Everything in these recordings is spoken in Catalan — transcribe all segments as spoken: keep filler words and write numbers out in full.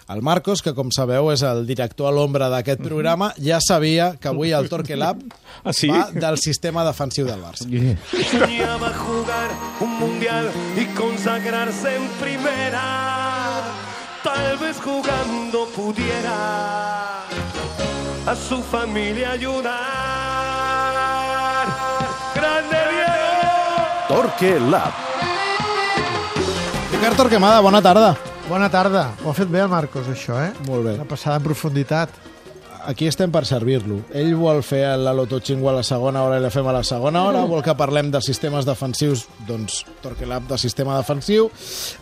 El Marcos, que com sabeu és el director a l'ombra d'aquest programa, ja sabia que avui el Torque Lab ¿Ah, sí? va del sistema defensiu del Barça. Yeah. Soñaba jugar un mundial y consagrarse en primera. Tal vez jugando pudiera a su familia ayudar. ¡Grande Diego! Torque Lab. Ricard Torquemada, bona tarda. Bona tarda. Ho ha fet bé el Marcos, això, eh? Molt bé. Una passada en profunditat. Aquí estem per servir-lo. Ell vol fer la Loto-Xingo a la segona hora i la fem a la segona hora. Vol que parlem de sistemes defensius, doncs Torque Lab de sistema defensiu.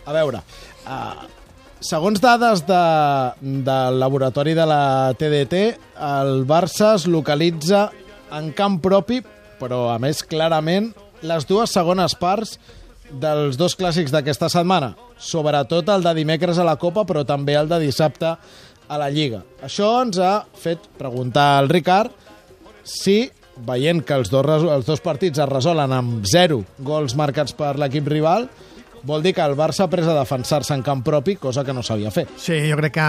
A veure, uh, segons dades de, del laboratori de la T D T, el Barça es localitza en camp propi, però a més clarament les dues segones parts dels dos clàssics d'aquesta setmana, sobretot el de dimecres a la Copa, però també el de dissabte a la Lliga. Això ens ha fet preguntar al Ricard si, veient que els dos, els dos partits es resolen amb zero gols marcats per l'equip rival, vol dir que el Barça ha pres a defensar-se en camp propi, cosa que no sabia fer. Sí, jo crec que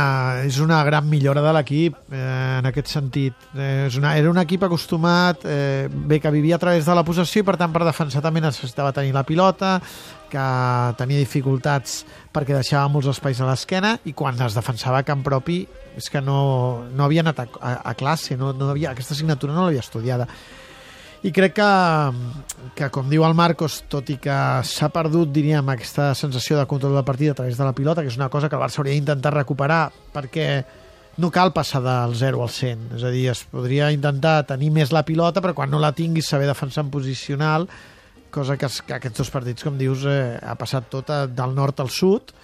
és una gran millora de l'equip eh, en aquest sentit. Eh, és una, era un equip acostumat, eh, bé, que vivia a través de la possessió i per tant per defensar també necessitava tenir la pilota, que tenia dificultats perquè deixava molts espais a l'esquena i quan es defensava a camp propi és que no, no havia anat a, a, a classe, no, no havia, aquesta assignatura no l'havia estudiada. I crec que, que, com diu el Marcos, tot i que s'ha perdut, diríem, aquesta sensació de control del partit a través de la pilota, que és una cosa que el Barça hauria d'intentar recuperar, perquè no cal passar del zero al cent. És a dir, es podria intentar tenir més la pilota, però quan no la tinguis saber defensar en posicional, cosa que, es, que aquests dos partits, com dius, eh, ha passat tot a, del nord al sud,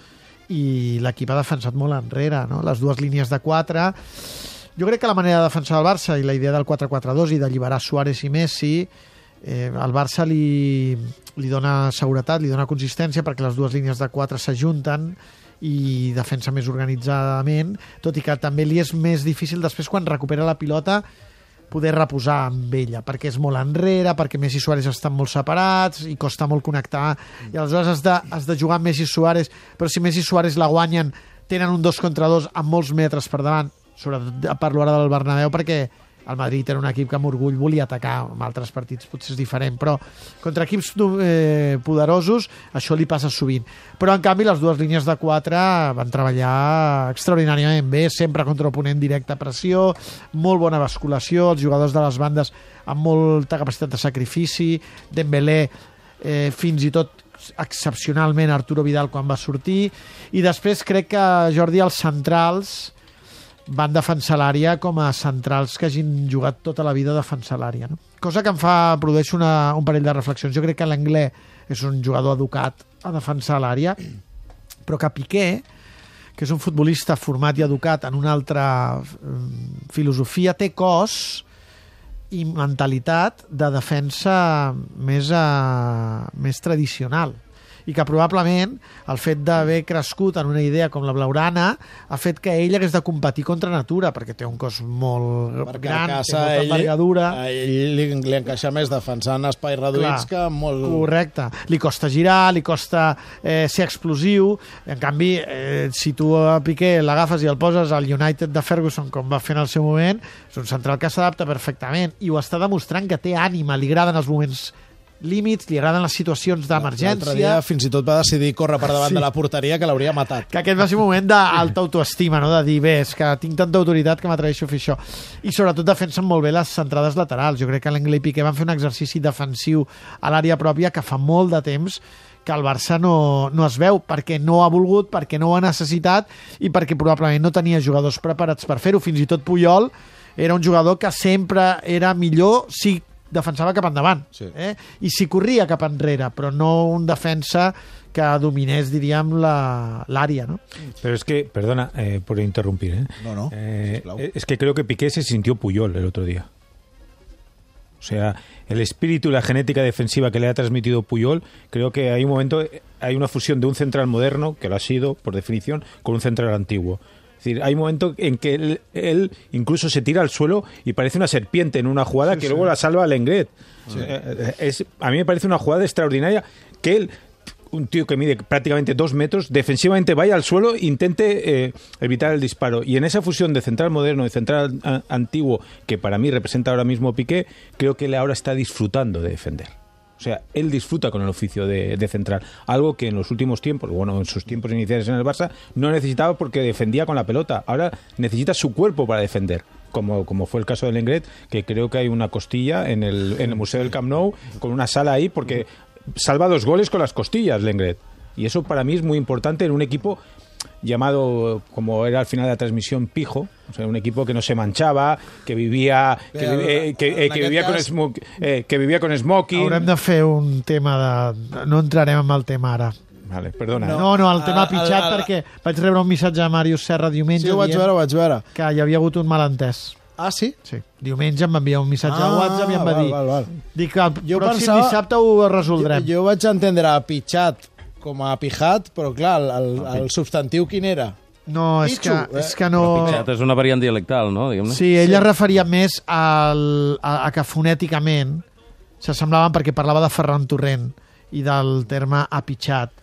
i l'equip ha defensat molt enrere, no? Les dues línies de quatre... Jo crec que la manera de defensar el Barça i la idea del quatre quatre dos i d'alliberar Suárez i Messi, eh, al Barça li, li dona seguretat, li dona consistència perquè les dues línies de quatre s'ajunten i defensa més organitzadament, tot i que també li és més difícil després quan recupera la pilota poder reposar amb ella, perquè és molt enrere, perquè Messi i Suárez estan molt separats i costa molt connectar, i aleshores has de, has de jugar amb Messi i Suárez, però si Messi i Suárez la guanyen, tenen un dos contra dos amb molts metres per davant, sobretot parlo ara del Bernabéu perquè el Madrid era un equip que amb orgull volia atacar, en altres partits potser és diferent, però contra equips eh, poderosos això li passa sovint. Però en canvi les dues línies de quatre van treballar extraordinàriament bé, sempre contra oponent directe a pressió, molt bona basculació, els jugadors de les bandes amb molta capacitat de sacrifici, Dembélé eh, fins i tot excepcionalment Arturo Vidal quan va sortir, i després crec que Jordi els centrals van defensar l'àrea com a centrals que hagin jugat tota la vida a defensar l'àrea, no? Cosa que em fa, produeix una, un parell de reflexions. Jo crec que l'Anglès és un jugador educat a defensar l'àrea, però que Piqué, que és un futbolista format i educat en una altra filosofia, té cos i mentalitat de defensa més, a, més tradicional, i que probablement el fet d'haver crescut en una idea com la blaugrana ha fet que ell hagués de competir contra natura, perquè té un cos molt perquè gran, casa, té molta ell, envergadura. A ell li, li encaixa més defensant espais reduïts. Clar, que molt... Correcte. Li costa girar, li costa eh, ser explosiu. En canvi, eh, si tu a Piqué l'agafes i el poses al United de Ferguson, com va fer en el seu moment, és un central que s'adapta perfectament i ho està demostrant, que té ànima, li agraden els moments límits, li agraden les situacions d'emergència. L'altre dia fins i tot va decidir córrer per davant sí. de la porteria, que l'hauria matat. Que aquest va ser un moment d'alta autoestima, no? De dir, bé, és que tinc tanta autoritat que m'atreveixo a fer això. I sobretot defensen molt bé les centrades laterals. Jo crec que l'Anglès i Piqué van fer un exercici defensiu a l'àrea pròpia que fa molt de temps que el Barça no, no es veu, perquè no ha volgut, perquè no ho ha necessitat i perquè probablement no tenia jugadors preparats per fer-ho. Fins i tot Puyol era un jugador que sempre era millor si defensava cap endavant, sí. eh? I si corria cap enrere, però no un defensa que dominés, diríem, l'àrea, ¿no? Pero es que, perdona eh, por interrumpir, ¿eh? No, no, eh, es que creo que Piqué se sintió Puyol el otro día. O sea, el espíritu y la genética defensiva que le ha transmitido Puyol, creo que hay un momento, hay una fusión de un central moderno, que lo ha sido, por definición, con un central antiguo. Es decir, hay un momento en que él, él incluso se tira al suelo y parece una serpiente en una jugada sí, que sí. luego la salva Lenglet. Sí. Es, a mí me parece una jugada extraordinaria que él un tío que mide prácticamente dos metros, defensivamente vaya al suelo e intente eh, evitar el disparo. Y en esa fusión de central moderno y central a, antiguo, que para mí representa ahora mismo Piqué, creo que él ahora está disfrutando de defender. O sea, él disfruta con el oficio de, de central, algo que en los últimos tiempos, bueno, en sus tiempos iniciales en el Barça, no necesitaba porque defendía con la pelota. Ahora necesita su cuerpo para defender. Como, como fue el caso de Lenglet, que creo que hay una costilla en el, en el Museo del Camp Nou, con una sala ahí, porque salva dos goles con las costillas, Lenglet. Y eso para mí es muy importante en un equipo llamado, como era al final de la transmisión, pijo, o sea, un equipo que no se manchava, que vivia que, Bé, eh, que, eh, que, vivia cas... con smoke, eh, que vivia con smoking. Haurem de fer un tema de... No entrarem en el tema ara. Vale, perdona. No, no, no el tema a, pitjat, a, a, perquè vaig rebre un missatge de Màrius Serra diumenge. Sí, ho vaig veure, ho vaig veure. Que hi havia hagut un malentès. Ah, sí? Sí. Diumenge em va enviar un missatge ah, a WhatsApp i em va val, dir... Val, val. Dic que el jo pròxim pensava, dissabte ho resoldrem. Jo, jo vaig entendre pitjat com a pijat, però clar, el, el, el substantiu quin era? No, és que, Pitxo, eh? és que no... Pitxat és una variant dialectal, no? Diguem-ne. Sí, ell es referia més al, a, a que fonèticament s'assemblaven perquè parlava de Ferran Torrent i del terme apitxat.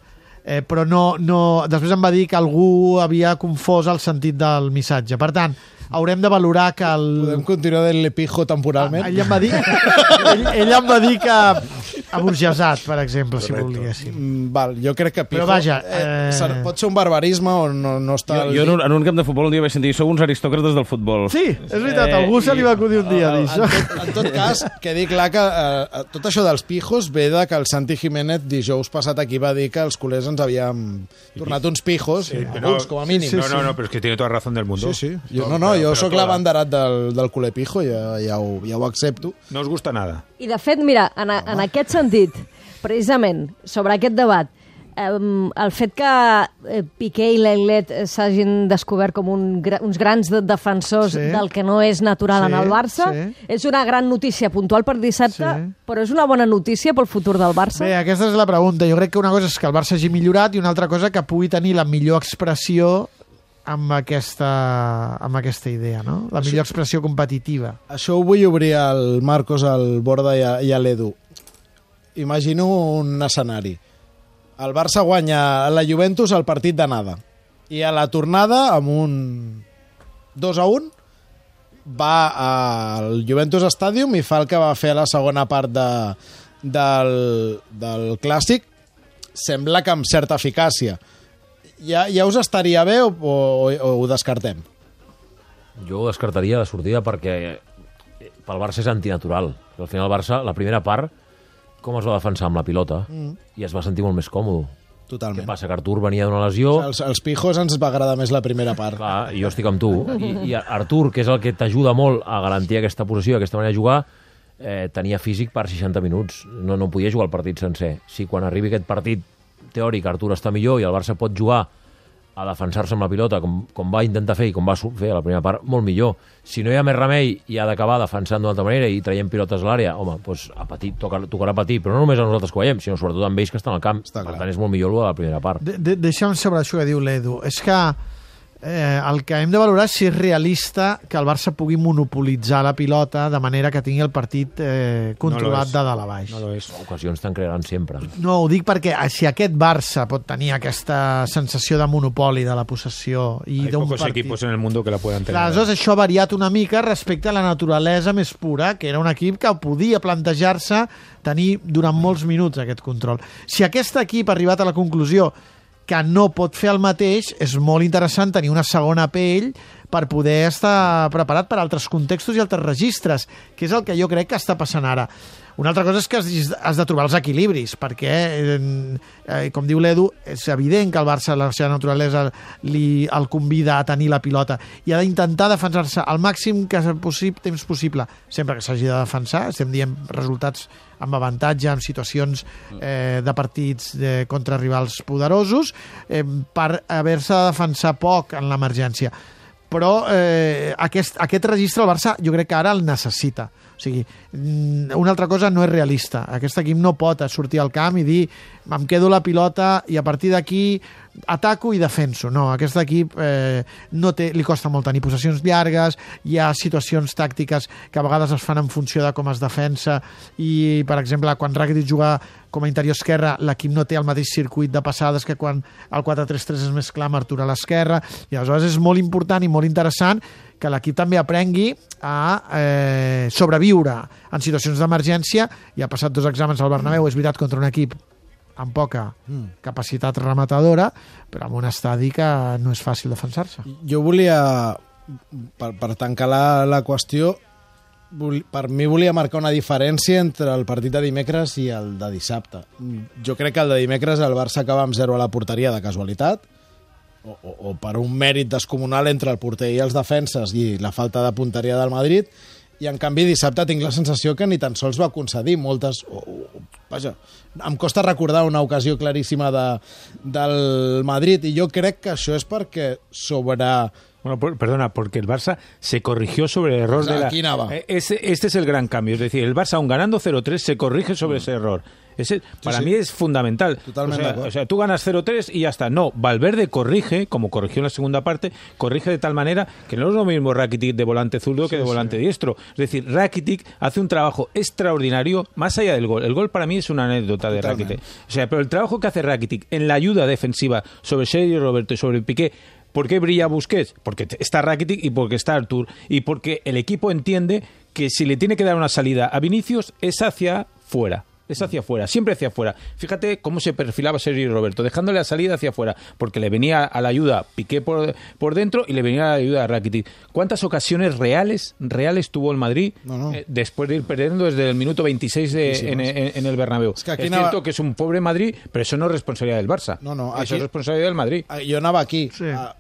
Eh, però no, no... Després em va dir que algú havia confós el sentit del missatge. Per tant, haurem de valorar que el... Podem continuar del pijo temporalment? Ah, ell em va dir, ell, ell em va dir que aburgesat, per exemple, si volguéssim. Mm, val, jo crec que pijo... Però vaja, Eh, eh... pot ser un barbarisme o no, no està... Jo, jo en, un, en un camp de futbol un dia vaig sentir sou uns aristòcrates del futbol. Sí, és veritat, a algú se li va acudir un dia dir En això. tot, en tot cas, quedi clar que eh, tot això dels pijos ve de que el Santi Jiménez dijous passat aquí va dir que els culers ens havíem tornat uns pijos, sí, alguns, com a mínim. Sí, sí, no, no, no, pero es que tiene toda razón del mundo. Sí, sí. Jo, no, no, jo sóc l'abanderat del, del culer pijo, ja, ja, ho, ja ho accepto. No us gusta nada. I, de fet, mira, en, a, en aquest sentit, precisament, sobre aquest debat, eh, el fet que eh, Piqué i Lenglet s'hagin descobert com un, uns grans de defensors Sí. del que no és natural Sí, en el Barça, sí. és una gran notícia puntual per dissabte, Sí. però és una bona notícia pel futur del Barça. Bé, aquesta és la pregunta. Jo crec que una cosa és que el Barça hagi millorat i una altra cosa que pugui tenir la millor expressió amb aquesta, amb aquesta idea, no? La millor expressió competitiva. Això ho vull obrir al Marcos, al Borda i a, i a l'Edu. Imagino un escenari. El Barça guanya a la Juventus el partit d'anada. I a la tornada, amb un dos a un, va al Juventus Stadium i fa el que va fer a la segona part de, del, del Clàssic. Sembla que amb certa eficàcia. Ja, ja us estaria bé o, o, o ho descartem? Jo ho descartaria de sortida perquè pel Barça és antinatural. Al final el Barça, la primera part, com es va defensar amb la pilota, mm. i es va sentir molt més còmode. Totalment. Què passa? Que Artur venia d'una lesió... O sigui, els, els pijos ens va agradar més la primera part. Clar, i jo estic amb tu. I, i Artur, que és el que t'ajuda molt a garantir aquesta posició, aquesta manera de jugar, eh, tenia físic per seixanta minuts. No, no podia jugar el partit sencer. Si quan arribi aquest partit teòric Artur està millor i el Barça pot jugar a defensar-se amb la pilota com, com va intentar fer i com va fer a la primera part, molt millor. Si no hi ha més remei i ha d'acabar defensant d'una altra manera i traient pilotes a l'àrea, home, doncs a patir, tocar, tocarà patir, però no només a nosaltres que ho veiem, sinó sobretot amb ells que estan al camp. Està per clar. tant, és molt millor el de la primera part. De, de, deixa'm sobre això que diu l'Edu. És que eh, el que hem de valorar és si és realista que el Barça pugui monopolitzar la pilota de manera que tingui el partit eh, controlat No lo és. de dalt a baix. No lo es. Ocasions te'n crearan sempre. No, ho dic perquè si aquest Barça pot tenir aquesta sensació de monopoli de la possessió i Hay d'un pocos partit... equipos en el mundo que la puedan tener. Clar, aleshores això ha variat una mica respecte a la naturalesa més pura, que era un equip que podia plantejar-se tenir durant molts minuts aquest control. Si aquest equip ha arribat a la conclusió que no pot fer el mateix, és molt interessant tenir una segona pell per poder estar preparat per altres contextos i altres registres, que és el que jo crec que està passant ara. Una altra cosa és que has de trobar els equilibris, perquè, eh, com diu l'Edu, és evident que el Barça, la seva naturalesa, li, el convida a tenir la pilota i ha d'intentar defensar-se al màxim que possible, temps possible, sempre que s'hagi de defensar. Estem dient resultats amb avantatge, en situacions eh, de partits de, contra rivals poderosos, eh, per haver-se de defensar poc en l'emergència. Però eh, aquest, aquest registre el Barça jo crec que ara el necessita. O sigui, una altra cosa no és realista. Aquest equip no pot sortir al camp i dir em quedo la pilota i a partir d'aquí ataco i defenso. No, aquest equip eh, no té, li costa molt tenir possessions llargues, hi ha situacions tàctiques que a vegades es fan en funció de com es defensa i, per exemple, quan Rakitic juga com a interior esquerre, l'equip no té el mateix circuit de passades que quan el quatre tres tres és més clar amb Artur a l'esquerra, i aleshores és molt important i molt interessant que l'equip també aprengui a eh, sobreviure en situacions d'emergència. I ha passat dos exàmens al Bernabéu, és veritat, contra un equip amb poca mm. capacitat rematadora, però amb un estadi que no és fàcil defensar-se. Jo volia, per, per tancar la, la qüestió, vol, per mi volia marcar una diferència entre el partit de dimecres i el de dissabte. Jo crec que el de dimecres el Barça acaba amb zero a la porteria de casualitat, o, o, o per un mèrit descomunal entre el porter i els defenses i la falta de punteria del Madrid, i en canvi dissabte tinc la sensació que ni tan sols va concedir moltes... O, o, vaja, em costa recordar una ocasió claríssima de, del Madrid, i jo crec que això és perquè sobre... Bueno, por, perdona, porque el Barça se corrigió sobre el error, o sea, de la... Aquí nada. Este, este es el gran cambio, es decir, el Barça, aun ganando cero tres, se corrige sobre mm. ese error. Ese, para sí, sí. mí es fundamental. Totalmente. O sea, o sea, tú ganas cero tres y ya está. No, Valverde corrige, como corrigió en la segunda parte, corrige de tal manera que no es lo mismo Rakitic de volante zurdo sí, que de volante sí. diestro. Es decir, Rakitic hace un trabajo extraordinario más allá del gol. El gol para mí es una anécdota de Totalmente. Rakitic. O sea, pero el trabajo que hace Rakitic en la ayuda defensiva sobre Sergio Roberto y sobre Piqué. ¿Por qué brilla Busquets? Porque está Rakitic y porque está Artur. Y porque el equipo entiende que si le tiene que dar una salida a Vinicius es hacia fuera. Es hacia afuera, siempre hacia afuera. Fíjate cómo se perfilaba Sergio Roberto, dejándole la salida hacia afuera, porque le venía a la ayuda Piqué por, por dentro y le venía a la ayuda a Rakitic. ¿Cuántas ocasiones reales reales tuvo el Madrid no, no. Eh, después de ir perdiendo desde el minuto veintiséis de, sí, sí, en, en, en el Bernabéu? Es, que aquí es anava... cierto que es un pobre Madrid, pero eso no es responsabilidad del Barça. No, no, aquí... Eso es responsabilidad del Madrid. Jo anava aquí. Sí. A...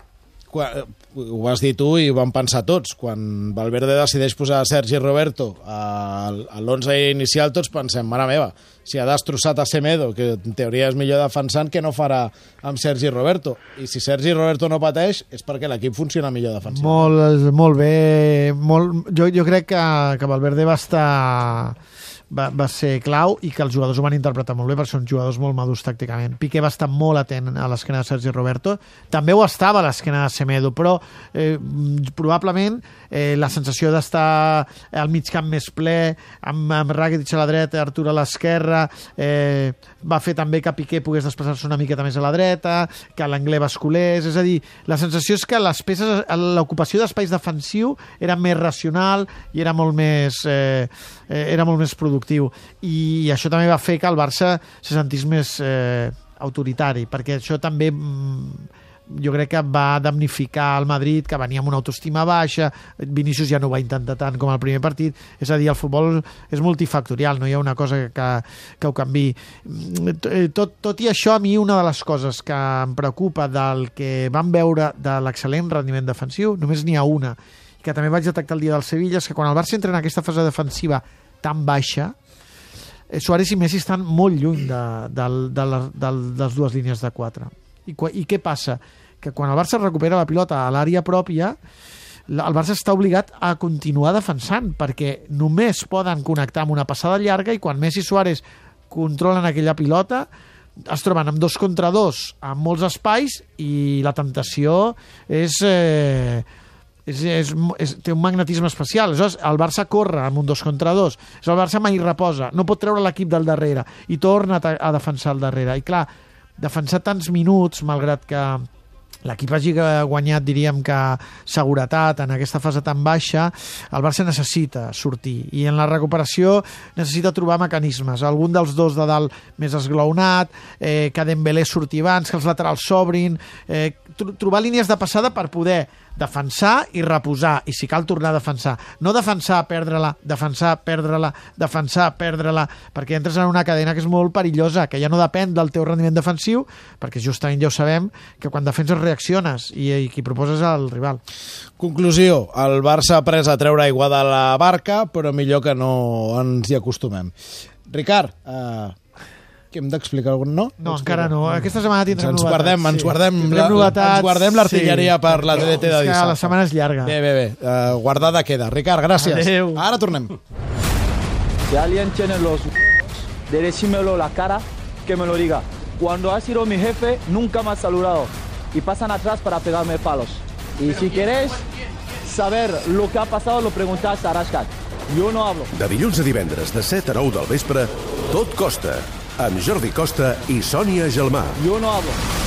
Quan, ho vas dir tu i ho vam pensar tots. Quan Valverde decideix posar Sergi Roberto a, a l'onze inicial, tots pensem, mare meva, si ha destrossat a Semedo, que en teoria és millor defensant, que no farà amb Sergi Roberto? I si Sergi Roberto no pateix, és perquè l'equip funciona millor defensant. Molt, molt bé. Molt, jo, jo crec que, que Valverde va estar... Va, va ser clau i que els jugadors ho van interpretar molt bé perquè són jugadors molt madurs tàcticament. Piqué va estar molt atent a l'esquena de Sergi Roberto, també ho estava a l'esquena de Semedo, però eh, probablement eh, la sensació d'estar al mig camp més ple, amb, amb Rakitic a la dreta, Artur a l'esquerra, eh, va fer també que Piqué pogués desplaçar-se una miqueta més a la dreta, que l'Anglès basculés, és a dir, la sensació és que les peces, l'ocupació d'espais defensiu era més racional i era molt més eh, era molt més productiu, i això també va fer que el Barça se sentís més eh, autoritari, perquè això també jo crec que va damnificar el Madrid, que venia amb una autoestima baixa. Vinícius ja no ho va intentar tant com el primer partit, és a dir, el futbol és multifactorial, no hi ha una cosa que, que ho canvi. Tot, tot i això, a mi una de les coses que em preocupa del que vam veure de l'excel·lent rendiment defensiu, només n'hi ha una, que també vaig detectar el dia del Sevilla, és que quan el Barça entra en aquesta fase defensiva tan baixa, Suárez i Messi estan molt lluny de, de, de, de, de les dues línies de quatre. I, I què passa? Que quan el Barça recupera la pilota a l'àrea pròpia, el Barça està obligat a continuar defensant, perquè només poden connectar amb una passada llarga, i quan Messi i Suárez controlen aquella pilota es troben amb dos contra dos amb molts espais, i la temptació és... Eh, És, és, és, té un magnetisme especial. Aleshores, el Barça corre amb un dos contra dos. El Barça mai reposa, no pot treure l'equip del darrere i torna a, a defensar el darrere. I clar, defensar tants minuts, malgrat que l'equip hagi guanyat, diríem que seguretat en aquesta fase tan baixa, el Barça necessita sortir, i en la recuperació necessita trobar mecanismes. Algun dels dos de dalt més esglaonat, eh, que Dembélé surti abans, que els laterals s'obrin, eh, tr trobar línies de passada per poder defensar i reposar, i si cal tornar a defensar. No defensar, perdre-la, defensar, perdre-la, defensar, perdre-la, perquè entres en una cadena que és molt perillosa, que ja no depèn del teu rendiment defensiu, perquè justament ja ho sabem, que quan defenses reacciones i, i qui proposes al rival. Conclusió, el Barça ha après a treure aigua de la barca, però millor que no ens hi acostumem. Ricard, eh, que hem d'explicar algun no? No, encara no. Aquesta setmana tindrem ens novetats. Guardem, sí. Ens guardem, la, novetats, ens guardem l'artilleria sí. per la T D T de dissabte. La setmana és llarga. Bé, bé, bé. Uh, guardada queda. Ricard, gràcies. Adeu. Ara tornem. Si alguien tiene los de decírmelo la cara, que me lo diga. cuando ha sido mi jefe, nunca me ha saludado. Y pasan atrás para pegarme palos. Y si queréis saber lo que ha pasado, lo preguntás a Arashcat. Jo no hablo. De dilluns a divendres, de set a nou del vespre, Tot Costa, amb Jordi Costa i Sònia Gelmà. Jo no hablo.